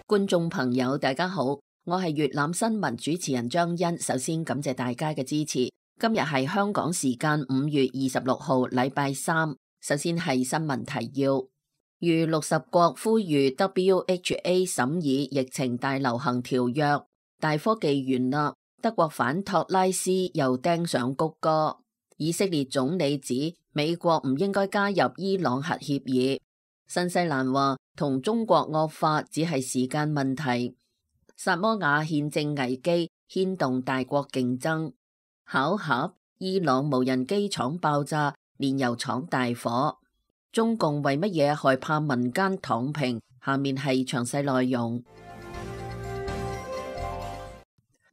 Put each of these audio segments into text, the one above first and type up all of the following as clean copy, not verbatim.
觀眾朋友大家好，我係粵覽新聞主持人張欣。首先感謝大家嘅支持。今日係香港時間5月26號禮拜三。首先係新聞提要：逾60國呼籲 WHO 審議疫情大流行條約。大科技完啦，德國反托拉斯又釘上谷歌。以色列總理指美國唔應該加入伊朗核協議。新西蘭話同中國惡化只係時間問題。薩摩亞憲政危機牽動大國競爭。巧合，伊朗無人機廠爆炸，煉油廠大火。中共為乜嘢害怕民間躺平？下面係詳細內容。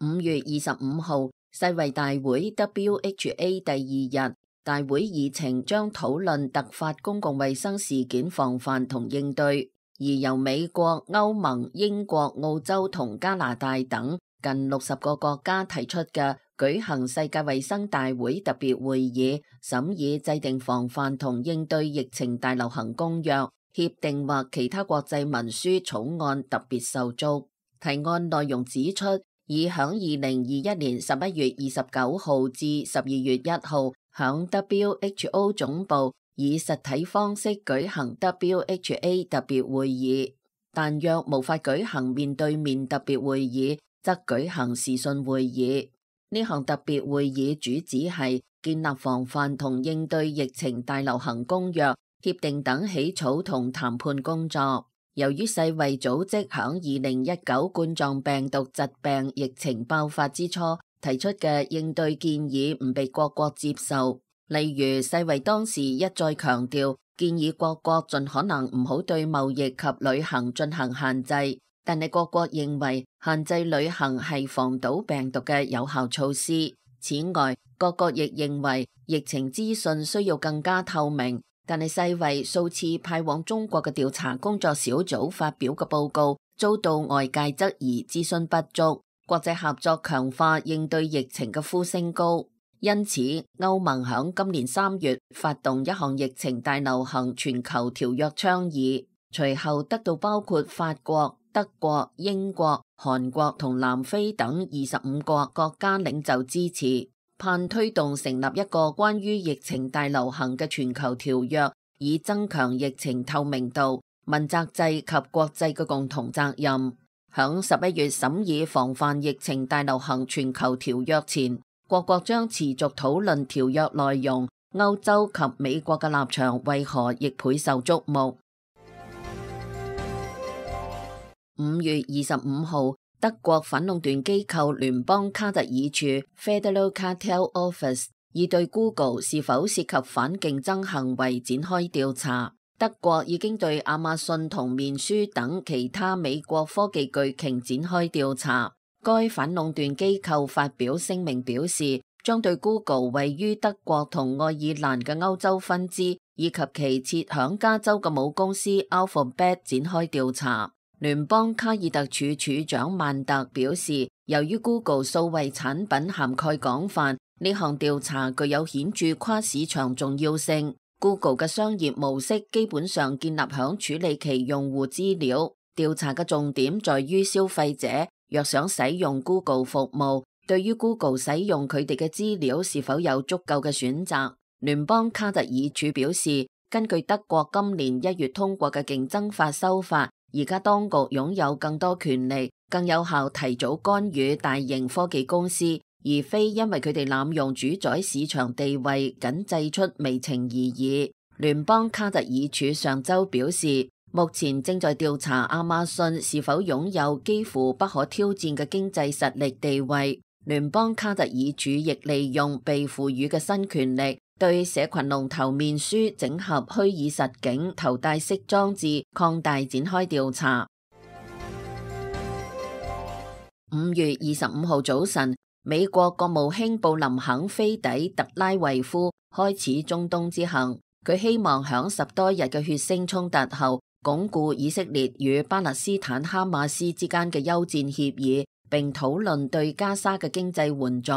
5月25號，世衛大會 WHA 第2日。大會議程將討論突發公共衛生事件防範同應對，而由美國、歐盟、英國、澳洲同加拿大等近60個國家提出嘅舉行世界衛生大會特別會議，審議制定防範同應對疫情大流行公約、協定或其他國際文書草案特別受觸。提案內容指出，已響2021年11月29號至12月1號響 WHO 總部以實體方式舉行 WHA 特別會議，但若無法舉行面對面特別會議，則舉行視訊會議。呢項特別會議主旨係建立防範同應對疫情大流行公約、協定等起草同談判工作。由於世衛組織響2019冠狀病毒疾病疫情爆發之初提出嘅應對建議唔被各國接受，例如世衛當時一再強調建議各國盡可能唔好對貿易及旅行進行限制，但係各國認為限制旅行係防堵病毒嘅有效措施。此外，各國亦認為疫情資訊需要更加透明，但係世衛數次派往中國嘅調查工作小組發表嘅報告遭到外界質疑資訊不足。國際合作強化應對疫情嘅呼聲高，因此歐盟響今年3月發動一項疫情大流行全球條約倡議，隨後得到包括法國、德國、英國、韓國同南非等25個國家領袖支持，盼推動成立一個關於疫情大流行嘅全球條約，以增強疫情透明度、問責制及國際嘅共同責任。響11月審議防範疫情大流行全球條約前，各國將持續討論條約內容。歐洲及美國嘅立場為何亦倍受矚目？5月25號，德國反壟斷機構聯邦卡特爾處 Federal Cartel Office 已對 Google 是否涉及反競爭行為展開調查。德國已經對亞馬遜同面書等其他美國科技巨鯨展開調查。該反壟斷機構發表聲明表示，將對 Google 位於德國同愛爾蘭嘅歐洲分支以及其設響加州嘅母公司 Alphabet 展開調查。聯邦卡爾特處處長曼特表示，由於 Google 數位產品涵蓋廣泛，呢項調查具有顯著跨市場重要性。Google 嘅商業模式基本上建立響處理其用戶資料。調查嘅重點在於消費者若想使用 Google 服務，對於 Google 使用佢哋嘅資料是否有足夠嘅選擇。聯邦卡特爾處表示，根據德國今年1月通過嘅競爭法修法，而家當局擁有更多權力，更有效提早干預大型科技公司，而非因為佢哋濫用主宰市場地位，僅製出微情而已。聯邦卡特爾處上週表示，目前正在調查亞馬遜是否擁有幾乎不可挑戰嘅經濟實力地位。聯邦卡特爾處亦利用被賦予嘅新權力，對社群龍頭面書整合虛擬實境頭戴式裝置擴大展開調查。5月25號早晨，美國國務卿布林肯飛抵特拉維夫，開始中東之行。佢希望響10多日嘅血腥衝突後，鞏固以色列與巴勒斯坦哈馬斯之間嘅休戰協議，並討論對加沙嘅經濟援助。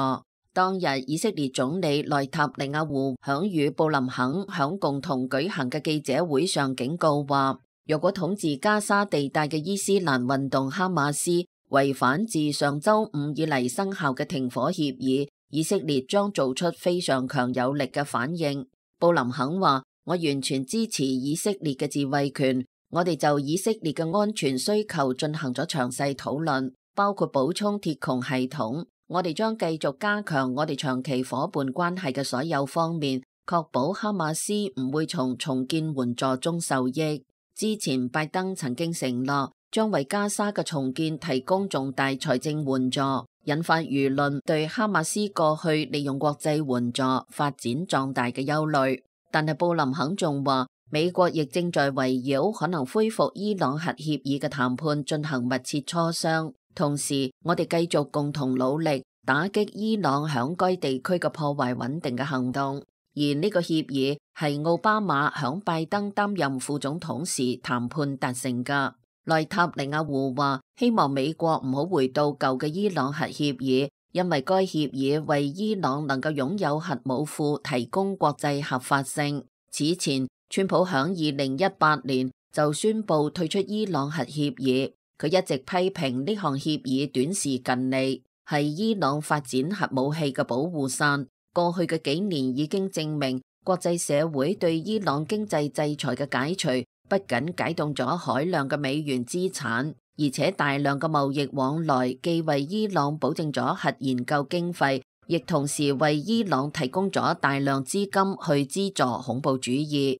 當日，以色列總理內塔尼亞胡響與布林肯響共同舉行嘅記者會上警告話，若果統治加沙地帶嘅伊斯蘭運動哈馬斯違反自上週五以嚟生效嘅停火協議，以色列將做出非常強有力嘅反應。布林肯話：我完全支持以色列嘅自衛權，我哋就以色列嘅安全需求進行咗詳細討論，包括補充鐵穹系統。我哋將繼續加強我哋長期夥伴關係嘅所有方面，確保哈馬斯唔會從重建援助中受益。之前拜登曾經承諾將為加沙嘅重建提供重大財政援助，引發輿論對哈馬斯過去利用國際援助發展壯大嘅憂慮。但係布林肯仲話，美國亦正在圍繞可能恢復伊朗核協議嘅談判進行密切磋商，同時我哋繼續共同努力打擊伊朗響該地區嘅破壞穩定嘅行動。而呢個協議係奧巴馬響拜登擔任副總統時談判達成㗎。內塔尼亞胡話：希望美國唔好回到舊嘅伊朗核協議，因為該協議為伊朗能夠擁有核武庫提供國際合法性。此前，川普響2018年就宣布退出伊朗核協議，佢一直批評呢項協議短視近利，係伊朗發展核武器嘅保護傘。過去嘅幾年已經證明，國際社會對伊朗經濟制裁嘅解除，不僅解凍咗海量嘅美元資產，而且大量嘅貿易往來既為伊朗保證咗核研究經費，亦同時為伊朗提供咗大量資金去資助恐怖主義。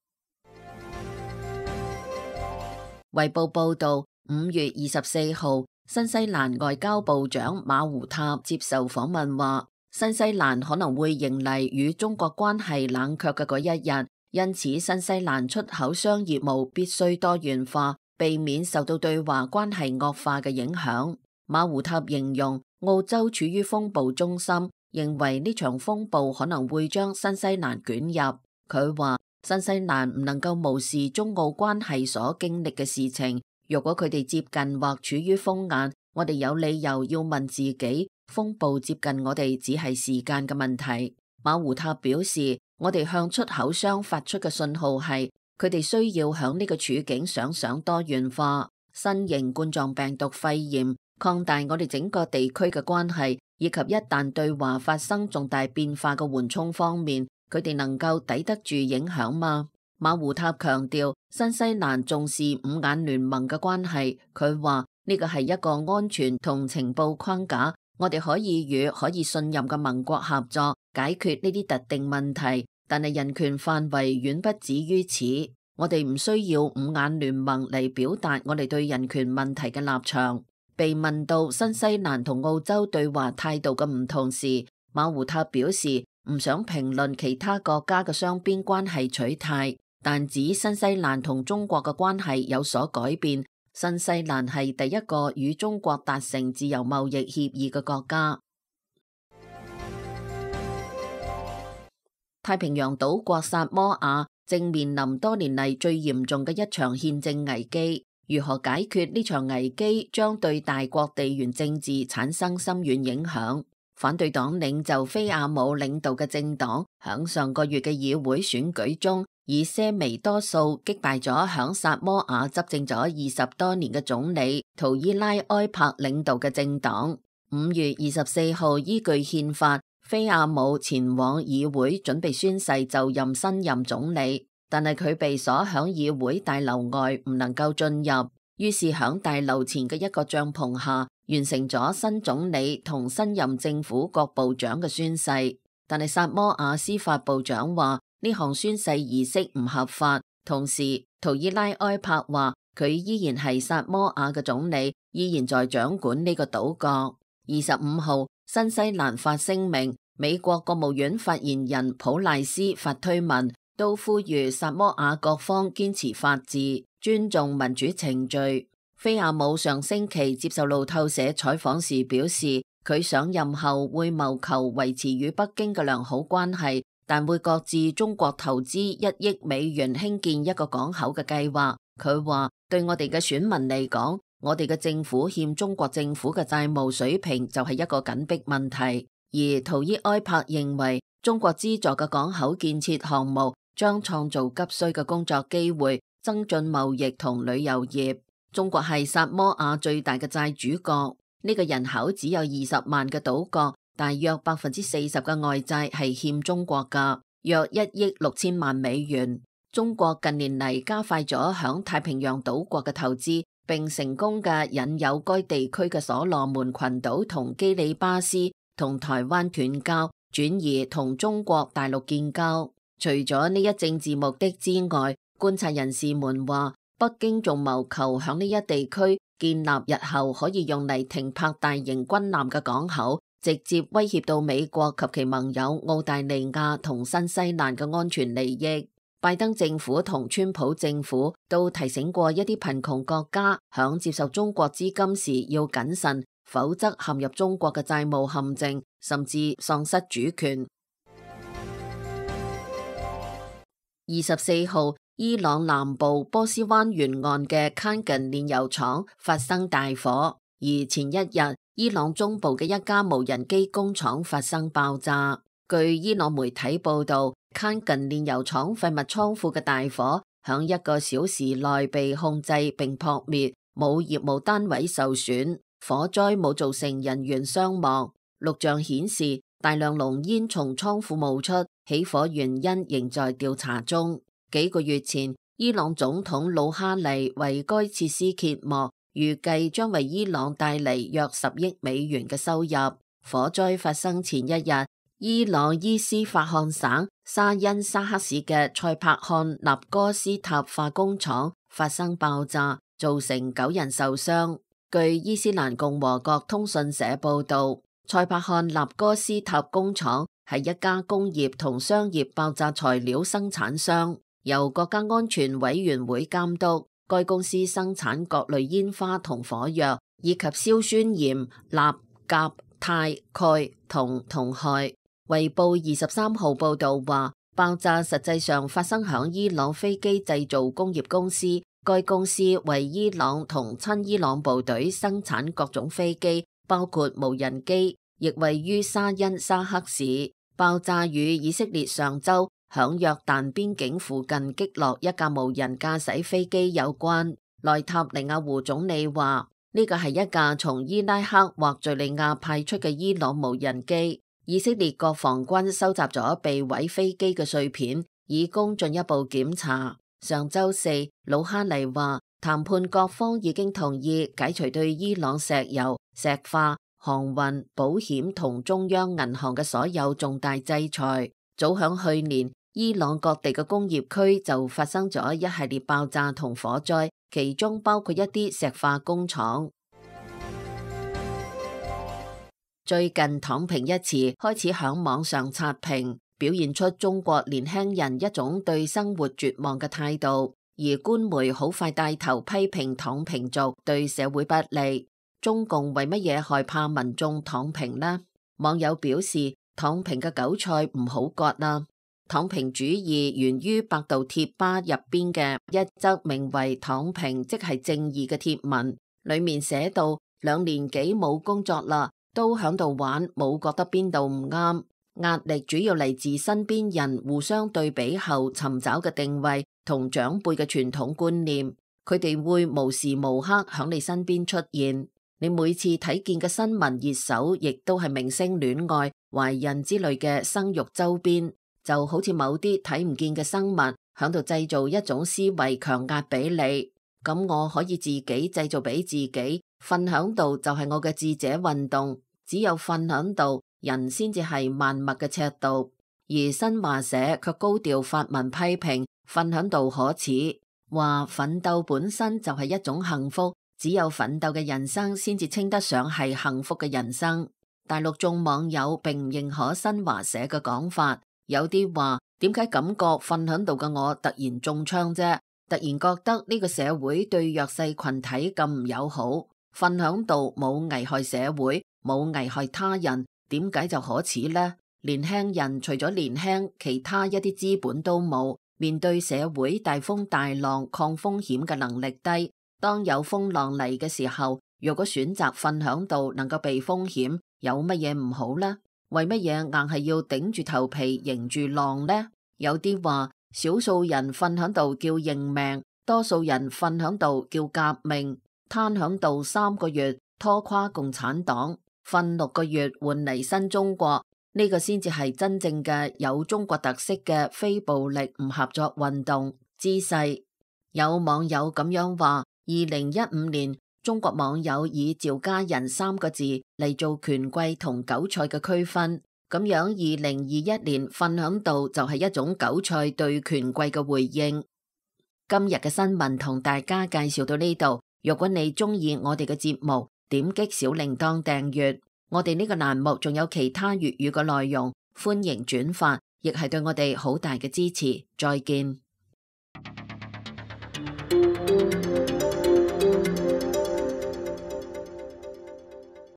衛報報道，5月24號，新西蘭外交部長馬胡塔接受訪問話，新西蘭可能會迎嚟與中國關係冷卻嘅嗰一日，因此新西蘭出口商業務必須多元化，避免受到對華關係惡化嘅影響。馬胡塔形容澳洲處於風暴中心，認為呢場風暴可能會將新西蘭捲入。佢話新西蘭唔能夠無視中澳關係所經歷嘅事情，如果佢哋接近或處於風眼，我哋有理由要問自己，風暴接近我哋只係時間嘅問題。馬胡塔表示，我哋向出口商發出嘅信號係，佢哋需要響呢個處境想多元化。新型冠狀病毒肺炎擴大我哋整個地區嘅關係，以及一旦對華發生重大變化嘅緩衝方面，佢哋能夠抵得住影響嗎？馬胡塔強調，新西蘭重視五眼聯盟嘅關係。佢話呢個係一個安全同情報框架，我哋可以與可以信任嘅盟國合作，解決呢啲特定問題。但係人權範圍遠不止於此，我哋唔需要五眼聯盟嚟表達我哋對人權問題嘅立場。被問到新西蘭同澳洲對華態度嘅唔同時，馬胡塔表示唔想評論其他國家嘅雙邊關係取態，但指新西蘭同中國嘅關係有所改變。新西蘭係第一個與中國達成自由貿易協議嘅國家。太平洋島國薩摩亞正面臨多年嚟最嚴重嘅一場憲政危機，如何解決呢場危機將對大國地緣政治產生深遠影響。反對黨領袖菲亞姆領導嘅政黨響上個月嘅議會選舉中，以些微多數擊敗咗響薩摩亞執政咗20多年嘅總理圖伊拉埃柏領導嘅政黨。5月24號依據憲法，菲亞姆前往議會準備宣誓就任新任總理，但係佢被鎖響議會大樓外，唔能夠進入，於是響大樓前嘅一個帳篷下完成咗新總理同新任政府各部長嘅宣誓。但係薩摩亞司法部長話呢項宣誓儀式唔合法，同時圖伊拉埃柏話佢依然係薩摩亞嘅總理，依然在掌管呢個島國。25號，新西蘭發聲明，美國國務院發言人普賴斯發推文，都呼籲薩摩亞各方堅持法治，尊重民主程序。菲亞姆上星期接受路透社採訪時表示，佢上任後會謀求維持與北京嘅良好關係，但會擱置中國投資1億美元興建一個港口嘅計劃。佢話，對我哋嘅選民嚟講，我哋嘅政府欠中國政府嘅債務水平就係一個緊迫問題。而圖伊埃柏認為，中國資助嘅港口建設項目將創造急需嘅工作機會，增進貿易同旅遊業。中國係薩摩亞最大嘅債主國，呢個人口只有20萬嘅島國，大約40%嘅外債係欠中國㗎，約1億6千萬美元。中國近年嚟加快咗響太平洋島國嘅投資，並成功嘅引誘該地區嘅所羅門群島同基里巴斯同台灣斷交，轉移同中國大陸建交。除咗呢一政治目的之外，觀察人士們話，北京仲謀求響呢一地區建立日後可以用嚟停泊大型軍艦嘅港口，直接威脅到美國及其盟友澳大利亞同新西蘭嘅安全利益。拜登政府同川普政府都提醒過一啲貧窮國家，響接受中國資金時要謹慎，否則陷入中國嘅債務陷阱，甚至喪失主權。24號，伊朗南部波斯灣沿岸嘅坎根煉油廠發生大火，而前一日，伊朗中部嘅一家無人機工廠發生爆炸。據伊朗媒體報道，坎根煉油廠廢物倉庫嘅大火響1個小時內被控制並撲滅，冇業務單位受損，火災冇造成人員傷亡。錄像顯示大量濃煙從倉庫冒出，起火原因仍在調查中。幾個月前，伊朗總統魯哈尼為該設施揭幕，預計將為伊朗帶嚟約10億美元嘅收入。火災發生前一日，伊朗伊斯法罕省沙因沙克市嘅塞柏漢納哥斯塔化工廠發生爆炸，造成9人受傷。據伊斯蘭共和國通訊社報道，塞柏漢納哥斯塔工廠係一家工業同商業爆炸材料生產商，由國家安全委員會監督。該公司生產各類煙花同火藥，以及硝酸鹽、鈉、鉀、鈦、鈣同銅氦。衛報23號報道話，爆炸實際上發生響伊朗飛機製造工業公司，該公司為伊朗同親伊朗部隊生產各種飛機，包括無人機，亦位於沙因沙克市。爆炸與以色列上周響約旦邊境附近擊落一架無人駕駛飛機有關。內塔尼亞胡總理話，呢個係一架從伊拉克或敘利亞派出嘅伊朗無人機。以色列國防軍收集咗被毀飛機嘅碎片，以供進一步檢查。上周四，魯哈尼話，談判各方已經同意解除對伊朗石油、石化、航運、保險同中央銀行嘅所有重大制裁。早響去年，伊朗各地嘅工業區就發生咗一系列爆炸同火災，其中包括一啲石化工廠。最近躺平一詞開始響網上刷屏，表現出中國年輕人一種對生活絕望嘅態度，而官媒好快帶頭批評躺平族對社會不利。中共為乜嘢害怕民眾躺平呢？網友表示，躺平嘅韭菜唔好割啦。躺平主義源於百度貼吧入邊嘅一則名為躺平即係正義嘅貼文，裏面寫到2年幾冇工作啦，都響度玩，冇覺得邊度唔啱。壓力主要嚟自身邊人互相對比後尋找嘅定位同長輩嘅傳統觀念，佢哋會無時無刻響你身邊出現。你每次睇見嘅新聞熱搜，亦都係明星戀愛、懷孕之類嘅生育周邊，就好似某啲睇唔見嘅生物響度製造一種思維強壓俾你。咁我可以自己製造俾自己，瞓響度就係我嘅智者運動。只有瞓響度，人先至係萬物嘅尺度。而新華社卻高調發文批評瞓響度可恥，話奮鬥本身就係一種幸福，只有奮鬥嘅人生先至稱得上係幸福嘅人生。大陸眾網友並唔認可新華社嘅講法，有啲話點解感覺瞓響度嘅我突然中槍啫？突然覺得呢個社會對弱勢群體咁唔友好，瞓響度冇危害社會，冇危害他人，點解就可恥呢？年輕人除咗年輕，其他一啲資本都冇，面對社會大風大浪，抗風險嘅能力低。當有風浪嚟嘅時候，若果選擇瞓響度能夠避風險，有乜嘢唔好呢？為乜嘢硬係要頂住頭皮迎住浪呢？有啲話少數人瞓響度叫認命，多數人瞓響度叫革命，攤響度3個月拖垮共產黨，瞓6個月換嚟新中國，呢個先至係真正嘅有中國特色嘅非暴力唔合作運動姿勢。有網友咁樣話，2015年中國網友以趙家人3個字嚟做權貴同韭菜嘅區分，咁樣2021年瞓響度就係一種韭菜對權貴嘅回應。今日嘅新聞同大家介紹到呢度，如果你中意我哋嘅節目，點擊小鈴鐺訂閱。我哋呢個欄目仲有其他粵語嘅內容，歡迎轉發，亦係對我哋好大嘅支持。再見。